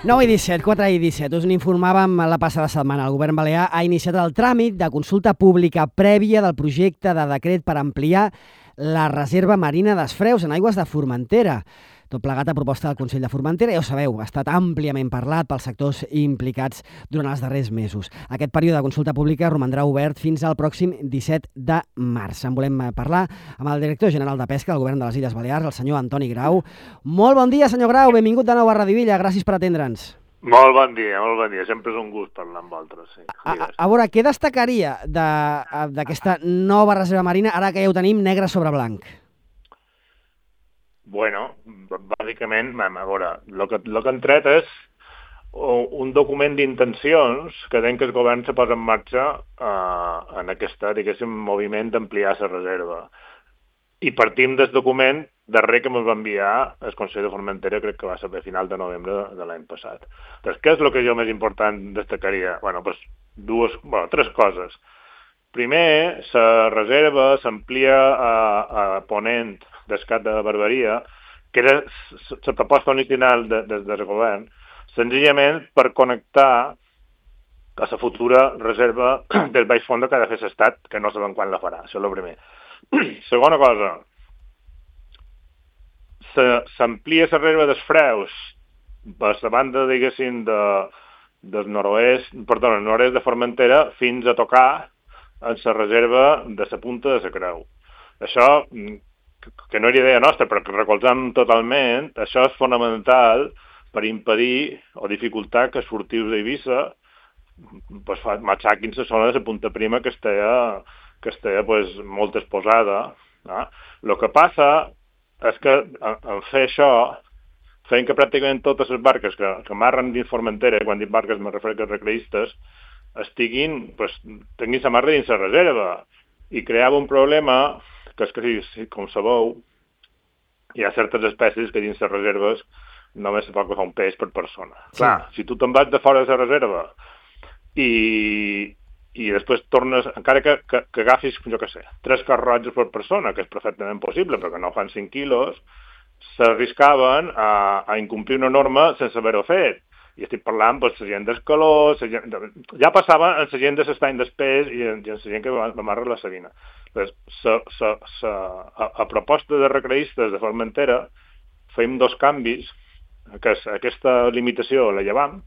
9 i 17, 4 i 17. Us n'informàvem la passada setmana. El govern balear ha iniciat el tràmit de consulta pública prèvia del projecte de decret per ampliar la reserva marina d'Asfreus en aigües de Formentera. Tot plegat a proposta del Consell de Formentera, ja ho sabeu, ha estat àmpliament parlat pels sectors implicats durant els darrers mesos. Aquest període de consulta pública romandrà obert fins al pròxim 17 de març. En volem parlar amb el director general de Pesca del Govern de les Illes Balears, el senyor Antoni Grau. Molt bon dia, senyor Grau, benvingut de nou a Radio Villa, gràcies per atendre'ns. Molt bon dia, sempre és un gust parlar amb vosaltres. Sí. A veure, què destacaria d'aquesta nova reserva marina, ara que ja ho tenim negre sobre blanc? Bueno, bàsicament, a veure, el que han tret és un document d'intencions que den que el govern se posa en marxa en aquesta, diguéssim, moviment d'ampliar la reserva. I partim del document darrer que ens va enviar el Consell de Formentera, crec que va ser a final de novembre de l'any passat. Doncs què és el que jo més important destacaria? Bueno, doncs tres coses. Primer, la reserva s'amplia a ponent d'Escat de Barberia, que era la proposta original del govern, senzillament per connectar a la futura reserva del baix fons que ha de fer l'Estat, que no sabem quan la farà, això és el primer. Segona cosa, s'amplia la reserva d'Asfreus per la banda, diguéssim, del nord-oest de Formentera fins a tocar en la reserva de la punta de la Creu. Això, que no era idea nostra, però que recolzam totalment, això és fonamental per impedir o dificultar que els furtius d'Eivissa matxaquin la zona de la punta prima que estigui molt exposada. El que passa és que en fer això, fent que pràcticament totes les barques que amarren dins Formentera, quan dic barques me refereixo a recreistes, tinguin la marra dins la reserva, i creava un problema que és que, com sabeu, hi ha certes espècies que dins les reserves només se pot agafar un peix per persona. Sí. Clar, si tu te'n vas de fora de la reserva i després tornes, encara que agafis, jo què sé, 3 carrotges per persona, que és perfectament possible, perquè no fan 5 quilos, s'arriscaven a incomplir una norma sense haver-ho fet. I estic parlant de la gent d'Escaló, ja passava en la gent de l'estany d'Espès i en la gent que va amarrar la Sabina. A proposta de recreistes de Formentera fem 2 canvis, que aquesta limitació la llevam,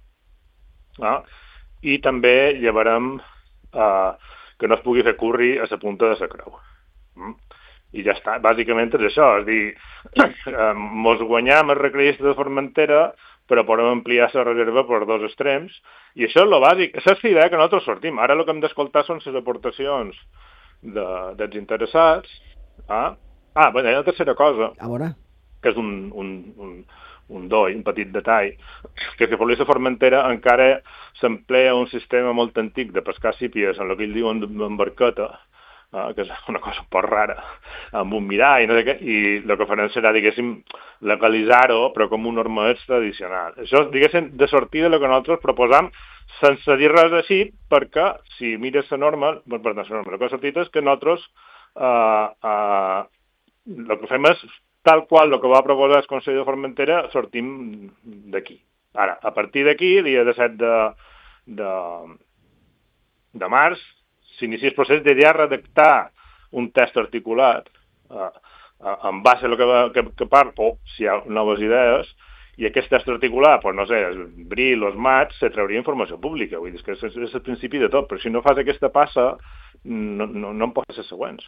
i també llevarem que no es pugui fer curri a la punta de la Creu. I ja està, bàsicament és això, és dir, mos guanyam els recreistes de Formentera, però podem ampliar la reserva per 2 extrems, i això és el bàsic, això és la idea que nosaltres sortim. Ara el que hem d'escoltar són les aportacions dels interessats. Hi ha una tercera cosa, que és un petit detall, que per la Formentera encara s'emplea un sistema molt antic de pescar sípies en el que ells diuen d'embarqueta, que és una cosa un poc rara, amb un mirall i no sé què, i el que farem serà, diguéssim, legalitzar-ho, però com un normadet tradicional. Això, diguéssim, de sortida el que nosaltres proposam, sense dir res així, perquè si mires la norma, el que ha sortit és que nosaltres el que fem és, tal qual el que va proposar el Consell de Formentera, sortim d'aquí. Ara, a partir d'aquí, dia 17 de març, s'inicia el procés de ja redactar un text articulat en base a lo que parla, o si hi ha noves idees, i aquest text articulat, no sé, abril o maig, se trauria informació pública. Vull dir, que és el principi de tot, però si no fas aquesta passa, no en pots ser següents.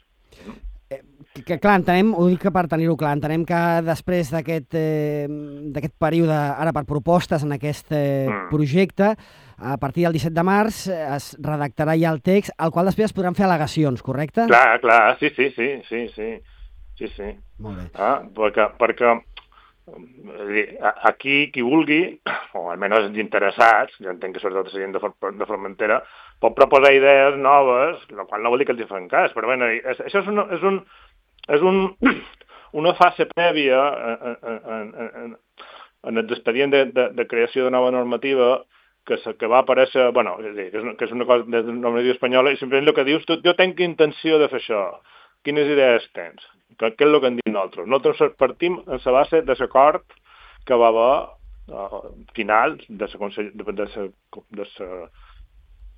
Que clar, entenem, ho dic per tenir-ho clar, entenem que després d'aquest període, ara per propostes en aquest projecte, a partir del 17 de març es redactarà ja el text, al qual després es podran fer al·legacions, correcte? Clar, sí. Molt bé. Perquè aquí qui vulgui, o almenys els interessats, jo entenc que sobretot la gent de Formentera, pot proposar idees noves, el qual no vol dir que els hi fan cas, però bé, això és una fase prèvia en l'expedient de creació de nova normativa que va aparèixer, que és una cosa de la normativa espanyola, i simplement el que dius, jo tinc intenció de fer això. Quines idees tens? Què és el que hem dit nosaltres? Nosaltres partim en la base de l'acord que va haver final del Consell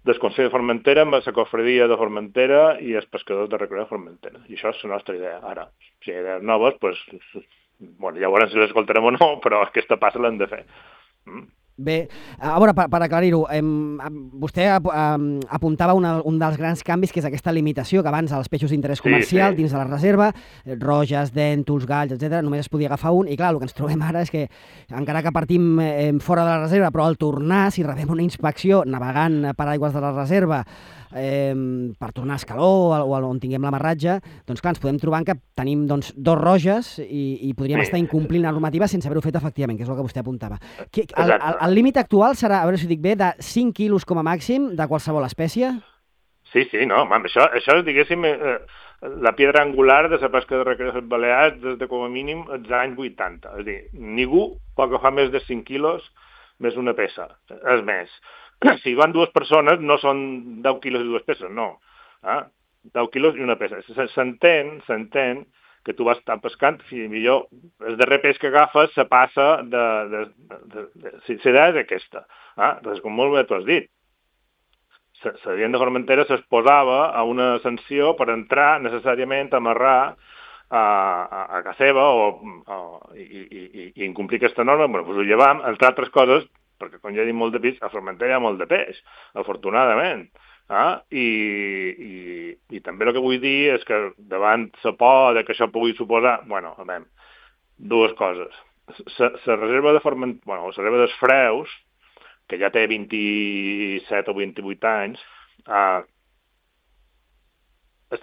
de Formentera amb la cofredia de Formentera i els pescadors de recreo de Formentera. I això és la nostra idea. Ara, si hi ha idees noves, doncs, bueno, ja veurem si les escoltarem o no, però aquesta passa l'hem de fer. Bé, a veure, per aclarir-ho, vostè apuntava un dels grans canvis, que és aquesta limitació que abans als peixos d'interès comercial dins de la reserva, roges, dèntols, galls, etc., només es podia agafar un, i clar, el que ens trobem ara és que, encara que partim fora de la reserva, però al tornar, si rebem una inspecció navegant per aigües de la reserva, per tornar a Escaló o on tinguem l'amarratge, doncs clar, ens podem trobar que tenim dos roges i podríem estar incomplint la normativa sense haver-ho fet efectivament, que és el que vostè apuntava. El límit actual serà, a veure si ho dic bé, de 5 quilos com a màxim de qualsevol espècie? Sí, no, això és, diguéssim, la pedra angular de la pesca de recreo de les Balears des de com a mínim els anys 80. És a dir, ningú pot agafar més de 5 quilos més una peça. És més, si van dues persones no són 10 quilos i dues peces, no. 10 quilos i una peça. S'entén que tu vas estar pescant, i millor el darrer peix que agafes se passa si l'idea és aquesta. Doncs com molt bé tu has dit, la gent de Formentera s'exposava a una sanció per entrar necessàriament a amarrar a casa seva i incomplir aquesta norma. Bueno, doncs ho llevam, entre altres coses, perquè com ja he dit molt de peix, a Formentera hi ha molt de peix, afortunadament. I també el que vull dir és que davant la por que això pugui suposar, bueno, a veure, dues coses. La reserva de la reserva dels Freus, que ja té 27 o 28 anys,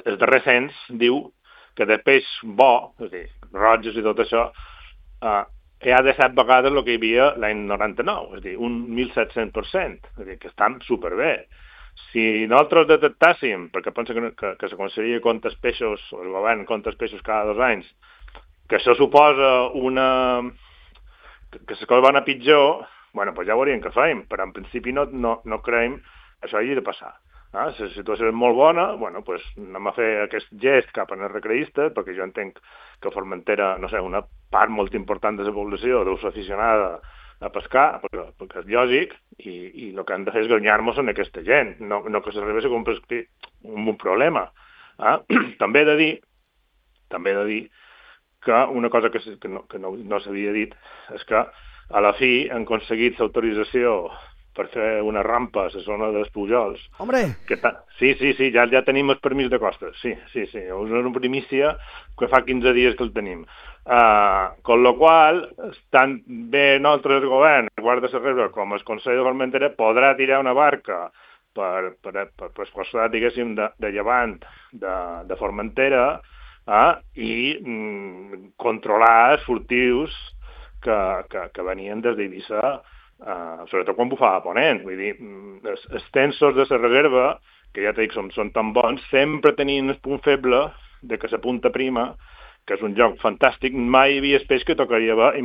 el darrer cens diu que de peix bo, és a dir, roges i tot això, hi ha de 7 vegades el que hi havia l'any 99, és a dir, un 1.700%, és a dir, que estan superbé. Si nosaltres detectàssim, perquè penso que la Conselleria compta els peixos, o el govern compta els peixos cada 2 anys, que això suposa que les coses van a pitjor, bueno, doncs ja veuríem què fèiem, però en principi no creiem que això hagi de passar. La situació és molt bona, bueno, doncs anem a fer aquest gest cap als recreistes, perquè jo entenc que Formentera, no sé, una part molt important de la població deu ser aficionada a pescar, perquè és lògic, i el que han de fer és guanyar-nos en aquesta gent, no que s'arribi a convertir en un problema. També he de dir que una cosa que no s'havia dit és que a la fi han aconseguit l'autorització per fer una rampa a la zona dels Pujols. Hombre! Sí, ja tenim el permís de costes, sí. És una primícia que fa 15 dies que el tenim. Con lo qual, tant bé nosaltres, el govern, el Guàrdia de la Reserva, com el Consell de Formentera, podrà tirar una barca per costat, diguéssim, de llevant de Formentera i controlar els furtius que venien des d'Eivissa, sobretot quan bufava a ponent. Vull dir, els tensos de la reserva, que ja t'he dit, són tan bons, sempre tenien el punt feble de que la punta prima, que és un joc fantàstic, mai hi havia peix que tocaria bé, i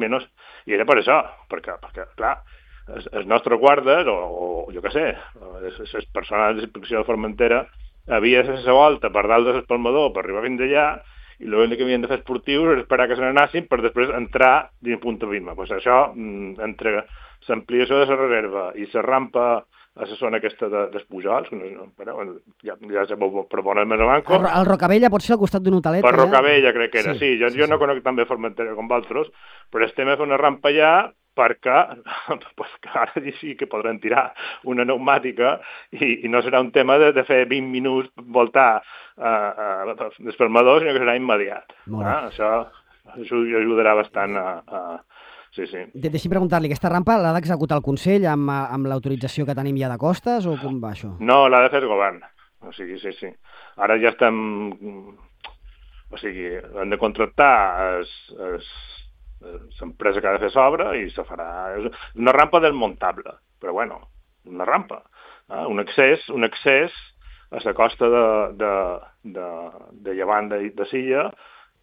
era per això, perquè clar, els nostres guardes, o jo què sé, les persones d'inspecció de Formentera, havia de fer la volta per dalt de l'espalmador per arribar fins allà, i l'únic que havien de fer esportius era esperar que se n'anassin per després entrar dins punta prima. Pues això, entre l'ampliació de la reserva i la rampa a la zona aquesta dels Pujols, ja se pot proponar més a banco. El Rocabella pot ser al costat d'un hotelet. Per Rocabella crec que era, sí. Jo no conec tan bé Formentera com vosaltres, però estem a fer una rampa allà perquè ara sí que podran tirar una pneumàtica i no serà un tema de fer 20 minuts voltar d'espermador, sinó que serà immediat. Això ajudarà bastant a... Sí. Deixi'm preguntar-li, aquesta rampa l'ha d'executar el Consell amb l'autorització que tenim ja de costes o com va això? No, l'ha de fer el govern. O sigui, sí. Ara ja estem... O sigui, hem de contractar l'empresa que ha de fer l'obra i se farà... És una rampa desmuntable, però bueno, una rampa. Un accés a la costa de llevant de Silla,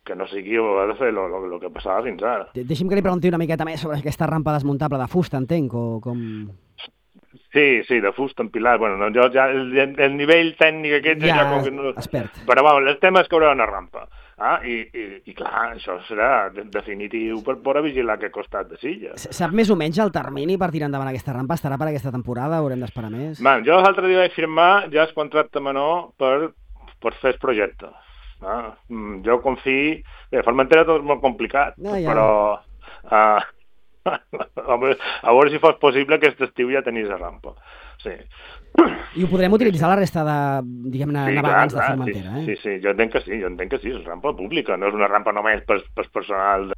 que no sigui haver de fer el que passava fins ara. Deixi'm que li pregunti una miqueta més sobre aquesta rampa desmuntable de fusta, entenc, o com... Sí, de fusta empilat. Bueno, jo ja el nivell tècnic aquest... Ja, expert. Però el tema és que hi haurà una rampa. I clar, això serà definitiu per poder vigilar aquest costat de Silla. Sap més o menys el termini per tirar endavant aquesta rampa? Estarà per aquesta temporada? Haurem d'esperar més? Jo l'altre dia vaig firmar ja el contracte menor per fer el projecte. Jo confio... Bé, Formentera tot és molt complicat, però... a veure si fos possible aquest estiu ja tenís la rampa. Sí. I ho podrem utilitzar la resta de, diguem-ne, navegants de Formentera, eh? Sí, jo entenc que sí, és rampa pública, no és una rampa només per personal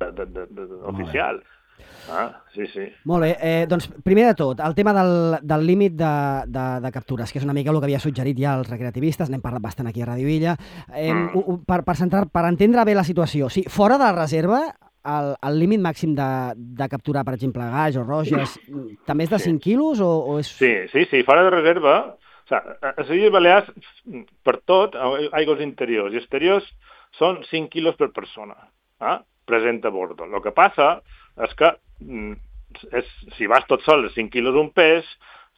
oficial. Sí. Molt bé, doncs primer de tot, el tema del límit de captures, que és una mica el que havia suggerit ja els recreativistes, n'hem parlat bastant aquí a Radio Illa, per entendre bé la situació, sí, fora de la reserva, el límit màxim de capturar, per exemple, gall o roges, també és de 5 quilos o és... Sí, fora de reserva, a les Illes Balears, per tot, aigües interiors i exteriors, són 5 quilos per persona, present a bordo. El que passa és que si vas tot sol, 5 quilos un peix,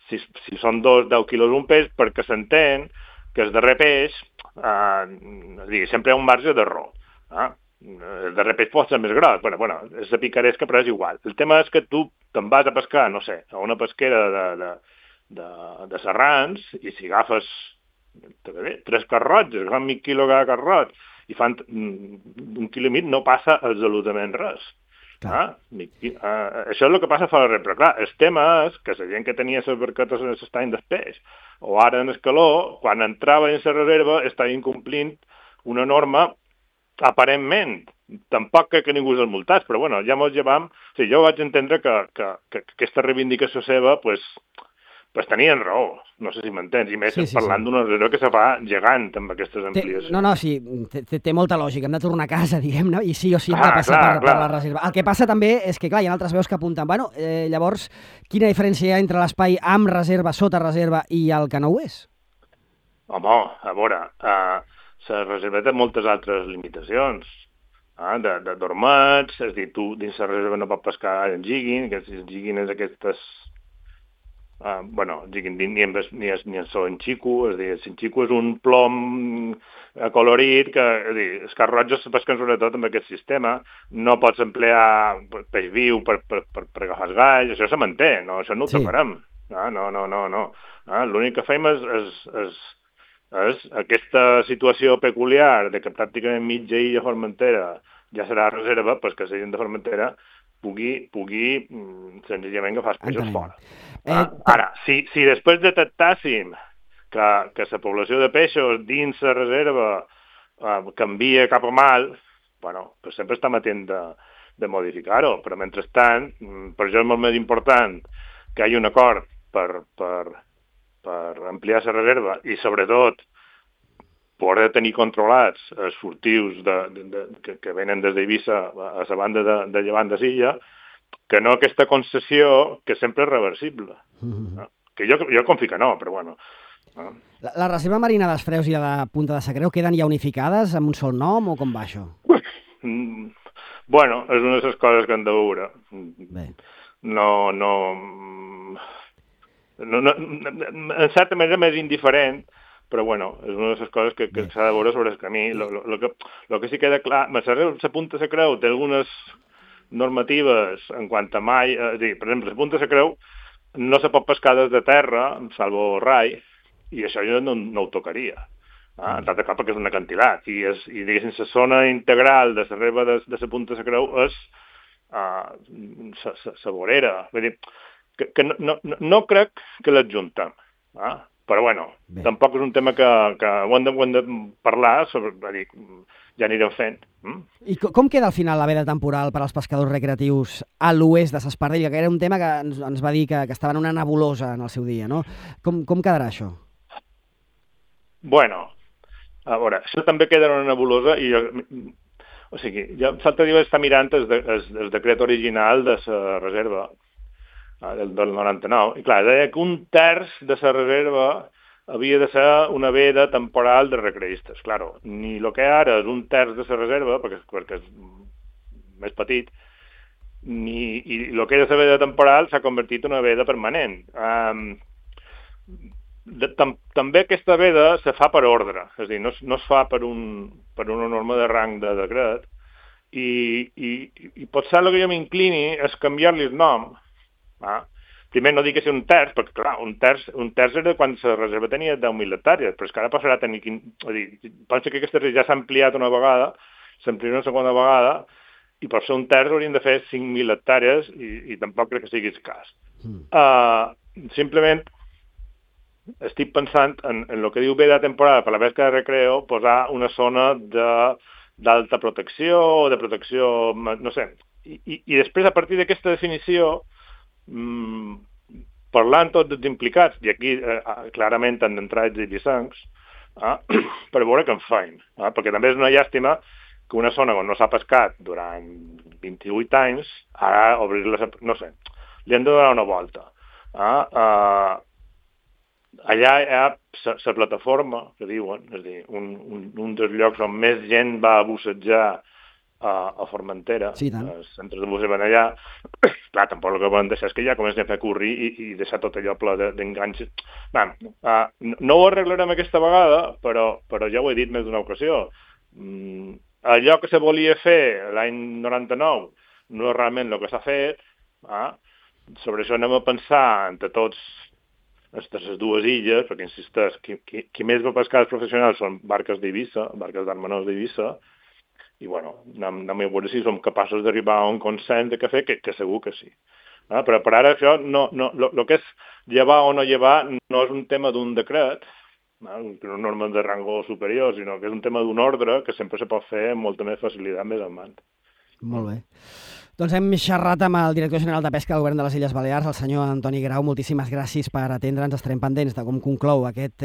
si són 10 quilos un peix, perquè s'entén que el darrer peix, sempre hi ha un marge d'error. El darrer peix pot ser més gros, bueno, és de picaresca, però és igual. El tema és que tu te'n vas a pescar, no sé, a una pesquera de serrans, i si agafes 3 carrots, agafes mig quilo cada carrot, i fan 1,5 quilo, no passa absolutament res. Això és el que passa fora de res, però clar, el tema és que la gent que tenia les barquetes en l'estany després, o ara en el calor, quan entrava en la reserva, estava incomplint una norma aparentment. Tampoc crec que ningú els multats, però bueno, ja mos llevam... O sigui, jo vaig entendre que aquesta reivindicació seva, pues tenien raó, no sé si m'entens, i més parlant d'una reserva que se fa gegant amb aquestes ampliacions. Sí, té molta lògica, hem de tornar a casa, diguem-ne, i sí o sí hem de passar per la reserva. El que passa també és que, clar, hi ha altres veus que apunten, llavors, quina diferència hi ha entre l'espai amb reserva, sota reserva, i el que no ho és? Home, a veure, la reserva té moltes altres limitacions, de dormats, és a dir, tu dins la reserva no pots pescar en jigging, que el jigging és aquestes... ni en so en xico, és a dir, el xico és un plom colorit que, és a dir, els carrotges se pesquen sobretot amb aquest sistema, no pots emplear peix viu per agafar els galls, això se manté, això no ho tocarem. No. L'únic que fem és aquesta situació peculiar de que pràcticament mitja illa Formentera ja serà reserva, pues que la gent de Formentera pugui senzillament agafar els peixos fora. Ara, si després detectàssim que la població de peixos dins la reserva canvia cap a mal, pues sempre estem atents de modificar-ho, però mentrestant, per això és molt més important que hi hagi un acord per ampliar la reserva i, sobretot, poder tenir controlats els furtius que venen des d'Eivissa a la banda de llevant de Silla, que no aquesta concessió que sempre és reversible. Que jo confio que no, però bueno. La reserva marina dels Freus i la de Punta de Sacreu queden ja unificades amb un sol nom o com va això? Bueno, és una de les coses que hem de veure. En certa manera més indiferent, però bueno, és una de les coses que s'ha de veure sobre el camí. El que sí queda clar, la Punta de Sacreu té algunes normatives en quant a mai, per exemple, la Punta de Sacreu no se pot pescar des de terra, salvo rai, i això jo no ho tocaria. En tant de cap perquè és un acantilat, i diguéssim, la zona integral de la reserva de la Punta de Sacreu és la vorera. Vull dir, que no crec que l'adjuntem, però bueno, tampoc és un tema que ho hem de parlar, ja anirem fent. I com queda al final la veda temporal per als pescadors recreatius a l'oest de s'Espardell, que era un tema que ens va dir que estava en una nebulosa en el seu dia, no? Com quedarà això? Bueno, a veure, això també queda en una nebulosa i o sigui, ja l'altre dia vaig estar mirant el decret original de la reserva del 99, i clar, deia que 1/3 de la reserva havia de ser una veda temporal de recreistes. Claro, ni el que ara és 1/3 de la reserva, perquè és més petit, i el que era la veda temporal s'ha convertit en una veda permanent. també aquesta veda se fa per ordre, és a dir, no es fa per una norma de rang de decret, i potser el que jo m'inclini és canviar-li el nom. Primer no dic que sigui un terç, perquè clar, un terç era quan la reserva tenia 10.000 hectàrees, però és que ara passarà a tenir... Penso que aquesta reserva ja s'ha ampliat una vegada, s'ampliarà una segona vegada, i per ser un terç haurien de fer 5.000 hectàrees i tampoc crec que sigui el cas. Simplement estic pensant en el que diu bé de temporada per la pesca de recreo, posar una zona d'alta protecció o de protecció, no sé. I després, a partir d'aquesta definició, parlant tots els implicats, i aquí clarament han d'entrar els ibicencs, per veure què en feim. Perquè també és una llàstima que una zona on no s'ha pescat durant 28 anys, ara obrir-la, no sé, li han de donar una volta. Allà hi ha la plataforma, que diuen, és a dir, un dels llocs on més gent va a bussejar a Formentera, sí, els centres de bussejament allà. Clar, tampoc el que volen deixar és que ja comencen a fer curri i deixar tot allò ple d'enganys. No ho arreglarem aquesta vegada, però ja ho he dit més d'una ocasió. Allò que se volia fer l'any 99 no és realment el que s'ha fet. Sobre això anem a pensar entre tots les dues illes, perquè insisteix, qui més va pescar els professionals són barques d'Eivissa, barques d'art menors d'Eivissa, i bueno, anem a veure si som capaços d'arribar a un consens de què fer, que segur que sí. Però per ara això, el que és llevar o no llevar no és un tema d'un decret, una norma de rango superior, sinó que és un tema d'un ordre que sempre se pot fer amb molta més facilitat més endavant. Molt bé. Doncs hem xerrat amb el director general de Pesca del Govern de les Illes Balears, el senyor Antoni Grau. Moltíssimes gràcies per atendre'ns. Estarem pendents de com conclou aquest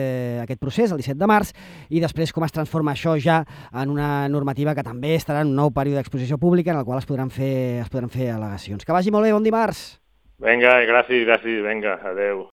procés el 17 de març i després com es transforma això ja en una normativa que també estarà en un nou període d'exposició pública en el qual es podran fer al·legacions. Que vagi molt bé, bon dimarts! Vinga, gràcies, vinga, adeu.